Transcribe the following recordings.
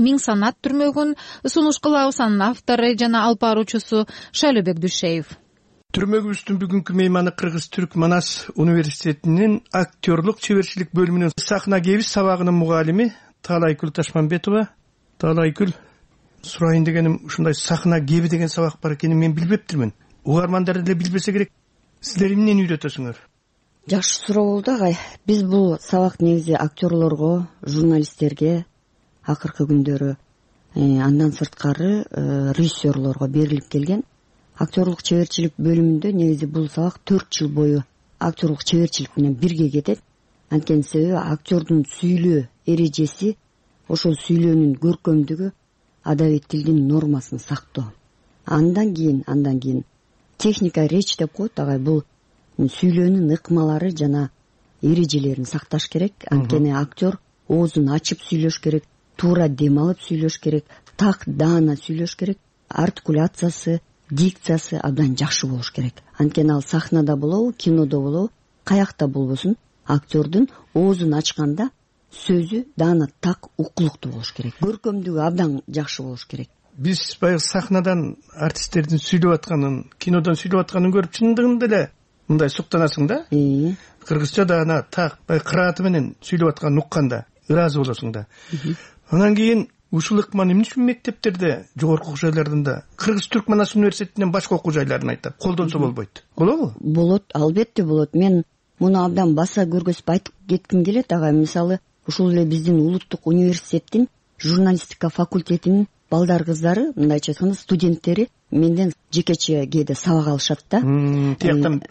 Миң санат түрмөгүн сунуш кылабыз. Анын автору жана алып баруучусу Шайлообек Дүйшеев. Түрмөгүбүздүн бүгүнкү мейманы Кыргыз-Түрк Манас университетинин актерлук чеберчилик бөлүмүнүн сахна кебиз сабагынын мугалими Таалайгүл Ташманбетова. Таалайгүл, сурайын дегеним, ушундай сахна кеби деген сабак бар экенин мен билбептирмин. Угармандар деле билбесе керек. Силер эмнени үйрөтөсүңөр? Жакшы суроо болду, агай. Биз бул сабак негизи актерлорго, журналисттерге акыркы күндөрү, андан сырткары режиссерлорго берилип келген. Актерлук чеберчилик бөлүмүндө негизи бул сабак 4 жыл бою актерлук чеберчилик менен бирге кетет. Анткени себеби актердун сүйлөө эрежеси, ошол сүйлөөнүн көркөмдүгү, адабий тилдин нормасын сактоо. Андан кийин техника речь деп коет, агай. Бул сүйлөөнүн ыкмалары жана эрежелерин сакташ керек. Анткени актер оозун ачып сүйлөш керек, туура дем алып сүйлөш керек, так даана сүйлөш керек, артикуляциясы, дикциясы абдан жакшы болуш керек. Анткени ал сахнада болобу, кинодо болобу, каякта болбосун, актердун оозун ачканда сөзү даана так укулуктуу болуш керек. Көркөмдүгү абдан жакшы болуш керек. Биз баягы сахнадан артисттердин сүйлөп атканын, кинодон сүйлөп атканын көрүп чындыгында эле мындай суктанасың да. Кыргызча даана так баягы кырааты менен сүйлөп атканын укканда ыраазы болосуң да. Анан кийин ушул ыкманы эмне үчүн мектептерде, жогорку окуу жайларында, Кыргыз-Түрк Манас университетинен башка окуу жайларын айтып колдонсо болбойт? Болобу? Болот, албетте болот. Мен муну абдан баса көргөзүп айтып кетким келет, агай. Мисалы, ушул эле биздин улуттук университеттин журналистика факультетинин балдар кыздары, мындайча айтканда, студенттери менден жекече кээде сабак алышат да. Тияктан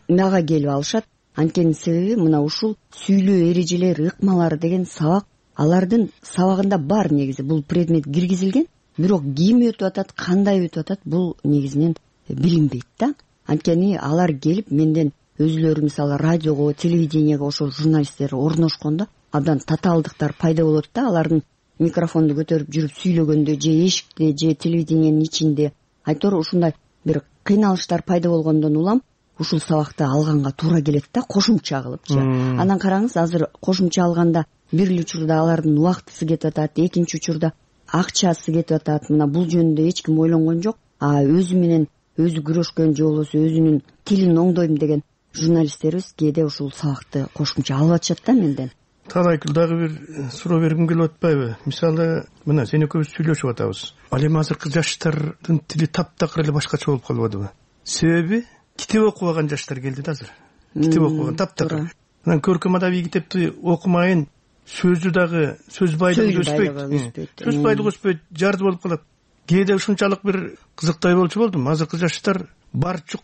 мага келип алышат. Анткени себеби мына ушул сүйлөө эрежелери, ыкмалары деген сабак алардын сабагында бар негизи. Бул предмет киргизилген, бирок ким өтүп атат, кандай өтүп атат, бул негизинен билинбейт да. Анткени алар келип менден өзүлөрү, мисалы, радиого, телевидениего ошол журналисттер орношкондо абдан татаалдыктар пайда болот да. Алардын микрофонду көтөрүп жүрүп сүйлөгөндө же эшикте же телевидениянын ичинде айтор ушундай бир кыйналыштар пайда болгондон улам ушул сабакты алганга туура келет да, кошумча кылыпчы. Анан караңыз, азыр кошумча алганда бир эле учурда алардын убактысы кетип атат, экинчи учурда акчасы кетип атат. Мына бул жөнүндө эч ким ойлонгон жок. Өзү менен өзү күрөшкөн же болбосо өзүнүн тилин оңдойм деген журналисттерибиз кээде ушул сабакты кошумча алып атышат да менден. Таалайгүл, дагы бир суроо бергим келип атпайбы? Мисалы, мына сен экөөбүз сүйлөшүп атабыз. Ал эми азыркы жаштардын тили таптакыр эле башкача болуп калбадыбы? Себеби китеп окубаган жаштар келди да азыр. Китеп окубаган таптакыр. Анан көркөм адабий китепти окумайын, сөзү дагы сөз байлыгы өспөйт. Сөз байлыгы өспөйт, жарды болуп калат. Кээде ушунчалык бир кызыктай болчу болдум. Азыркы жаштар барчук,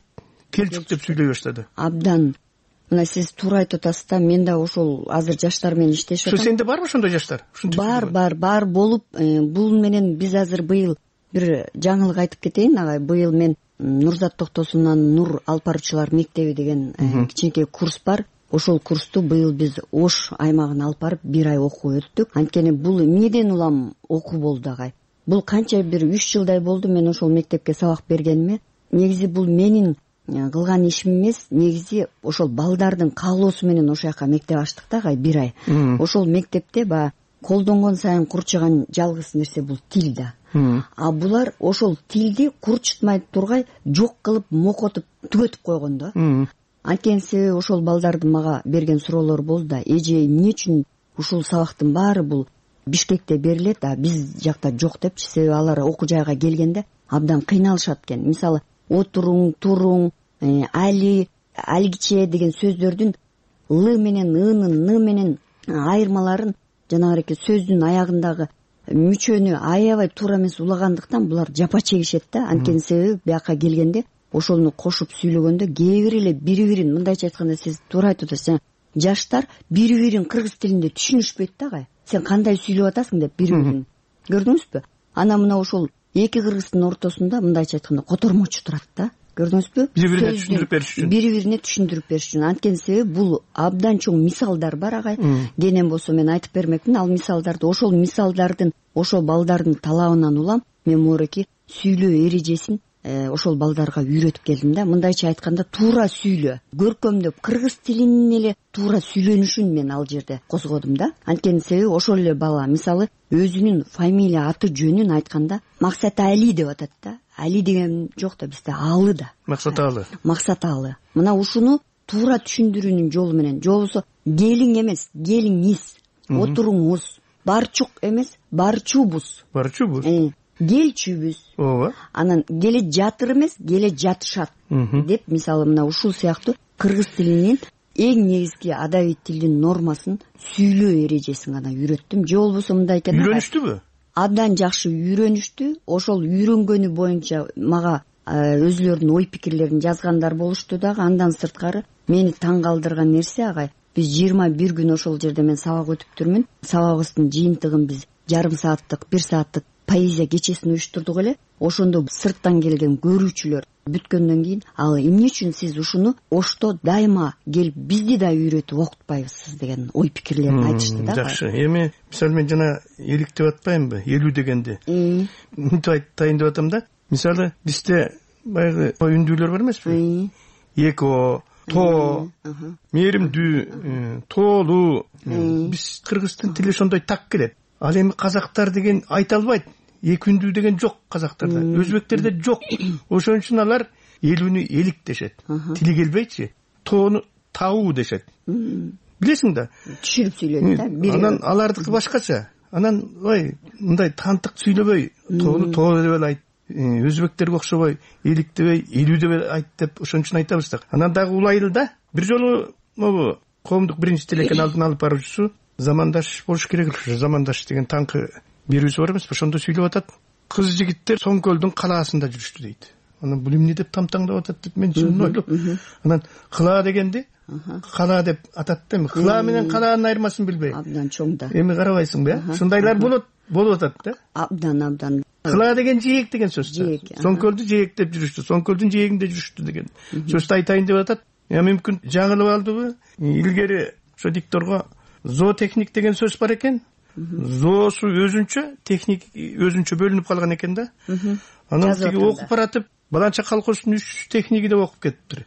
келчүк деп сүйлөй баштады. Абдан. Мына сиз туура айтып атасыз да. Мен да ошол азыр жаштар менен иштешип атам. Сенде барбы ошондой жаштар? Бар болуп, бул менен биз азыр быйыл бир жаңылык айтып кетейин, агай. Быйыл мен Нурзат Токтосунан Нур алып баруучулар мектеби деген кичинекей курс бар. Ошол курсту быйыл биз Ош аймагына алып барып бир ай окуп өттүк. Анткени бул эмнеден улам окуу болду, агай. Бул канча бир 3 жылдай болду мен ошол мектепке сабак бергениме. Негизи бул менин кылган ишим эмес, негизи ошол балдардын каалоосу менен ошол жака мектеп ачтык да, агай, бир ай. Ошол мектепте баягы колдонгон сайын курчуган жалгыз нерсе бул тил да. Булар ошол тилди курчутмай тургай жок кылып, мокотуп, түгөтүп койгон да. Анткени себеби ошол балдардын мага берген суроолору болду да. Эже, эмне үчүн ушул сабактын баары бул Бишкекте берилет, биз жакта жок депчи. Себеби алар окуу жайга келгенде абдан кыйналышат экен. Мисалы, отуруң, туруң, алгиче деген сөздөрдүн л менен ынын, н менен айырмаларын жанагы сөздүн аягындагы мүчөнү аябай туура эмес улагандыктан булар жапа чегишет да. Анткени себеби бияка келгенде ошону кошуп сүйлөгөндө кээ бир эле бири-бирин, мындайча айтканда, сиз туура айтып атасыз, жаштар бири-бирин кыргыз тилинде түшүнүшпөйт да, агай. Сен кандай сүйлөп атасың деп бири-бирин. Көрдүңүзбү? Анан мына ошол эки кыргыздын ортосунда мындайча айтканда котормочу турат да. Көрдүңүзбү? Бири-бирине түшүндүрүп бериш үчүн. Анткени себеби бул абдан чоң мисалдар бар, агай. Кенен болсо мен айтып бермекмин ал мисалдарды. Ошол мисалдардын, ошол балдардын талабынан улам мен мореки сүйлөө эрежесин ошол балдарга үйрөтүп келдим да. Мындайча айтканда туура сүйлө, көркөмдөп кыргыз тилинин эле туура сүйлөнүшүн мен ал жерде козгодум да. Анткени себеби ошол эле бала мисалы өзүнүн фамилия аты жөнүн айтканда Максатали деп атат да. Али деген жок да бизде, Алы да. Максаталы. Мына ушуну туура түшүндүрүүнүн жолу менен, же болбосо келиң эмес, келиңиз, отуруңуз, барчук эмес, барчубуз. Келчүбүз. Ооба. Анан келе жатыр эмес, келе жатышат деп мисалы мына ушул сыяктуу кыргыз тилинин эң негизги адабий тилдин нормасын сүйлөө эрежесин гана үйрөттүм. Же болбосо мындай экен. Үйрөнүштүбү? Абдан жакшы үйрөнүштү. Ошол үйрөнгөнү боюнча мага өзүлөрүнүн ой пикирлерин жазгандар болушту дагы. Андан сырткары мени таң калтырган нерсе агай, биз 21 күн ошол жерде мен сабак өтүптүрмүн. Сабагыбыздын жыйынтыгын биз жарым сааттык, 1 сааттык поэзия кечесин уюштурдук эле. Ошондо сырттан келген көрүүчүлөр бүткөндөн кийин ал эмне үчүн сиз ушуну Ошто дайыма келип бизди да үйрөтүп окутпайбысыз деген ой пикирлерин айтышты да. Жакшы. Эми мисалы мен жана элик деп атпаймынбы, 50 дегенди. Мынтип айтайын деп атам да. Мисалы бизде баягы үндүүлөр бар эмеспи? Эко, то, мээримдүү, тоолуу. Биз кыргыздын тили ошондой так келет. Ал эми казактар деген айта албайт. Эки үндүү деген жок казактарда, өзбектерде жок. Ошон үчүн алар элүүнү элик дешет. Тили келбейчи, тоону тау дешет. Билесиң да? Түшүрүп сүйлөйт да. Анан алардыкы башкача. Анан мындай тантык сүйлөбөй, тоону тоо деп эле айт. Өзбектерге окшобой элик дебей, элүү деп айт деп ошон үчүн айтабыз да. Анан дагы улайлы да. Бир жолу могу коомдук биринчи тилекен алдын алып баруучусу Замандаш болуш керек эле. Замандаш деген таңкы берүүсү бар эмеспи? Ошондо сүйлөп атат. Кыз жигиттер Соңкөлдүн калаасында жүрүштү дейт. Анан бул эмне деп тамтаңдап атат деп мен чынын ойлоп. Анан кыла дегенди кала деп атат да. Эми кыла менен калаанын айырмасын билбей. Абдан чоң да. Эми карабайсыңбы? Ушундайлар болуп атат да. Абдан. Кыла деген жээк деген сөз. Соңкөлдү жээктеп жүрүштү. Соңкөлдүн жээгинде жүрүштү деген сөздү айтайын деп атат. Мүмкүн жаңылып алдыбы? Илгери ошо дикторго зоотехник деген сөз бар экен. Зоосу өзүнчө, техник өзүнчө бөлүнүп калган экен да. Анан тиги окуп баратып, баланча колхоздун 3 техниги деп окуп кетиптир.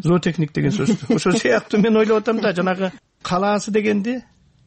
Зоотехник деген сөздү. Ошол сыяктуу мен ойлоп атам да, жанагы калаасы дегенди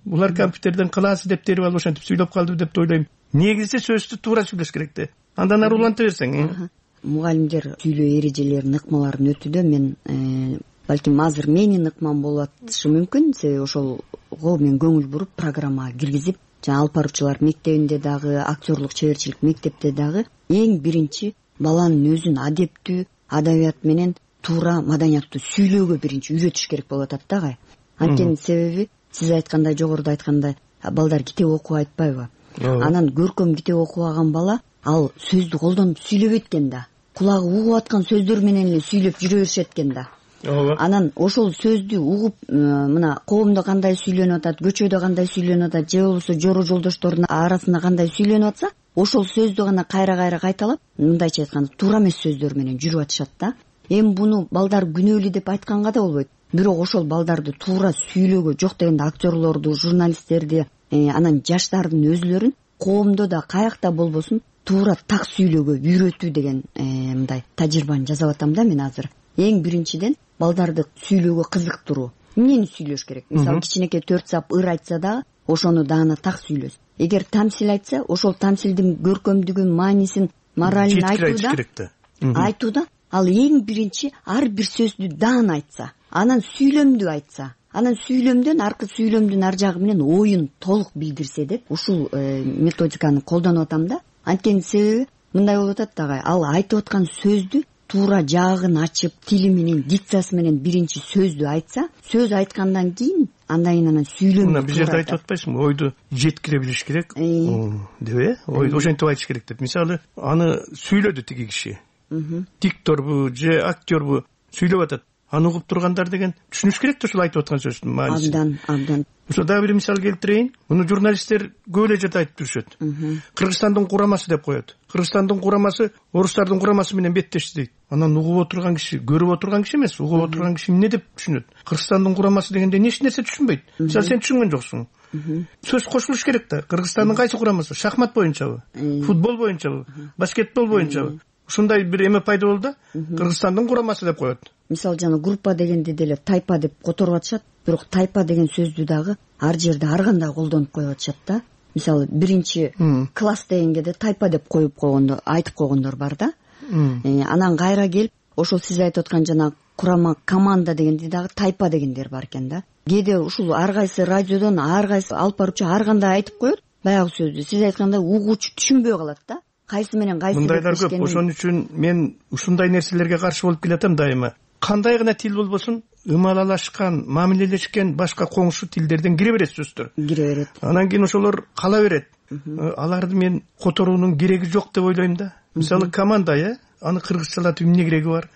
булар компьютерден кылаасы деп терип алып ошентип сүйлөп калды деп ойлойм. Негизи сөздү туура сүйлөш керек да. Андан ары уланта берсең. Мугалимдер сүйлөө эрежелерин, ыкмаларын өтүүдө мен балким азыр менин ыкмам болуп атышы мүмкүн. Себеби ошолго мен көңүл буруп программага киргизип, жана алып баруучулар мектебинде дагы, актерлук чеберчилик мектепте дагы эң биринчи баланын өзүн адептүү, адабият менен туура маданияттуу сүйлөөгө биринчи үйрөтүш керек болуп атат да агай. Анткени себеби сиз айткандай, жогоруда айткандай, балдар китеп окуп айтпайбы? Анан көркөм китеп окубаган бала ал сөздү колдонуп сүйлөбөйт экен да. Кулагы угуп аткан сөздөр менен эле сүйлөп жүрө беришет экен да. Анан ошол сөздү угуп, мына коомдо кандай сүйлөнүп атат, көчөдө кандай сүйлөнүп атат, же болбосо жору жолдошторунун арасында кандай сүйлөнүп атса, ошол сөздү гана кайра кайталап, мындайча айтканда туура эмес сөздөр менен жүрүп атышат да. Эми буну балдар күнөөлүү деп айтканга да болбойт. Бирок ошол балдарды туура сүйлөөгө, жок дегенде актерлорду, журналисттерди, анан жаштардын өзүлөрүн коомдо да каякта болбосун туура так сүйлөөгө үйрөтүү деген мындай тажрыйбаны жасап атам да мен азыр. Эң биринчиден балдарды сүйлөөгө кызыктыруу. Эмнени сүйлөш керек? Мисалы кичинекей 4 сап ыр айтса да, ошону даана так сүйлөс. Эгер тамсил айтса, ошол тамсилдин көркөмдүгүн, маанисин, моралин айтууда ал эң биринчи ар бир сөздү даана айтса, анан сүйлөмдүү айтса, анан сүйлөмдөн аркы сүйлөмдүн ар жагы менен оюн толук билдирсе деп ушул методиканы колдонуп атам да. Анткени себеби мындай болуп атат дагы, ал айтып аткан сөздү туура жаагын ачып, тили менен, дикциясы менен биринчи сөздү айтса, сөз айткандан кийин андан сүйлөмдү. Мына бул жерде айтып атпайсыңбы? Ойду жеткире билиш керек деп, ойду ошентип айтыш керек деп. Мисалы, аны сүйлөдү тиги киши. Дикторбу же актербу сүйлөп атат. Аны угуп тургандар деген түшүнүш керек да ошол айтып аткан сөздүн маанисин. Абдан. Ошо дагы бир мисал келтирейин. Муну журналисттер көп эле жерде айтып жүрүшөт. Кыргызстандын курамасы деп коет. Кыргызстандын курамасы орустардын курамасы менен беттешти дейт. Анан угуп отурган киши, көрүп отурган киши эмес, угуп отурган киши эмне деп түшүнөт? Кыргызстандын курамасы дегенде эч нерсе түшүнбөйт. Мисалы сен түшүнгөн жоксуң. Сөз кошулуш керек да. Кыргызстандын кайсы курамасы? Шахмат боюнчабы? Футбол боюнчабы? Баскетбол боюнчабы? ушундай бир эме пайда болду да, Кыргызстандын курамасы деп коет. Мисалы жана группа дегенди деле тайпа деп которуп атышат, бирок тайпа деген сөздү дагы ар жерде ар кандай колдонуп коюп атышат да. Мисалы биринчи класс дегенге да тайпа деп коюп койгондор, айтып койгондор бар да. Анан кайра келип ошол сиз айтып аткан жана курама команда дегенди дагы тайпа дегендер бар экен да. Кээде ушул ар кайсы радиодон ар кайсы алып баруучу ар кандай айтып коет баягы сөздү. Сиз айткандай угуучу түшүнбөй калат да. Кайсы менен кайсы мындайлар көп. Ошон үчүн мен ушундай нерселерге каршы болуп келатам дайыма. Кандай гана тил болбосун, ымалалашкан, мамилелешкен башка коңшу тилдерден кире берет сөздөр. Кире берет. Анан кийин ошолор кала берет. Аларды мен которуунун кереги жок деп ойлойм да. Мисалы команда, аны кыргызчалатып эмне кереги бар?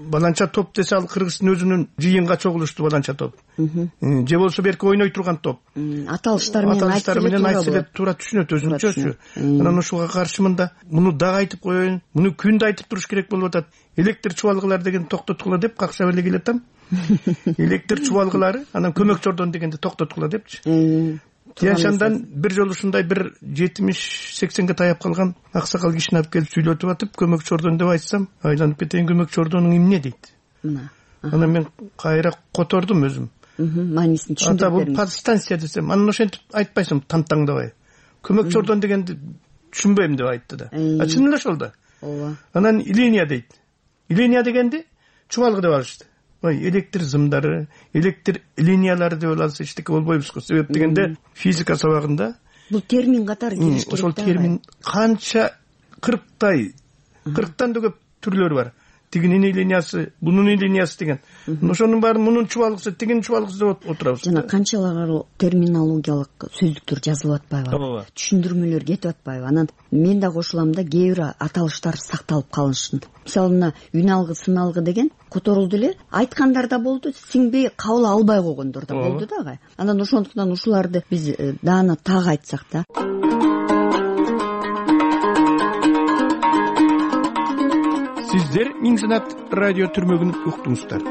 Баланча топ десе ал кыргыздын өзүнүн жыйынга чогулуштуу баланча топ. Же болсо берки ойной турган топ. Аталыштар менен айтса туура түшүнөт өзүнчөчү. Анан ушуга каршымын да, муну дагы айтып коеюн, муну күндө айтып туруш керек болуп атат. Электр чубалгылар деген токтоткула деп какшап эле келатам. Электр чубалгылары, анан көмөк чордон дегенди токтоткула депчи. Тияншандан бир жолу ушундай бир 70-80ге таяп калган аксакал кишини алып келип сүйлөтүп атып, көмөк чордон деп айтсам, айланып кетейин, көмөк чордонуң эмне дейт. Анан мен кайра котордум өзүм. Маанисин түшүндүрүп бердим. Бул подстанция десем, анан ошентип айтпайсың тантаңдабай. Көмөк чордон дегенди түшүнбөйм деп айтты да. Чын эле ошол да. Ооба. Анан линия дейт. Линия дегенди чубалгы деп алышты. Электр зымдары, электр линиялары деп алса эчтеке болбойбуз го. Себеп дегенде физика сабагында бул термин катары кириш керек. Ошол термин канча 40тан да көп түрлөрү бар. Тигинин линиясы, бунун линиясы деген. Ошонун баары мунун чубалгысы, тигинин чубалгысы деп отурабыз. Жана канчалар терминологиялык сөздүктөр жазылып атпайбы? Түшүндүрмөлөр кетип атпайбы? Анан мен да кошулам да, кээ бир аталыштар сакталып калышын. Мисалы мына үн алгы, сын алгы деген которулду эле, айткандар да болду, сиңбей кабыл албай койгондор да болду дагы. Анан ошондуктан ушуларды биз даана так айтсак да. Сиздер Миң Санат радио түрмөгүн уктуңуздар.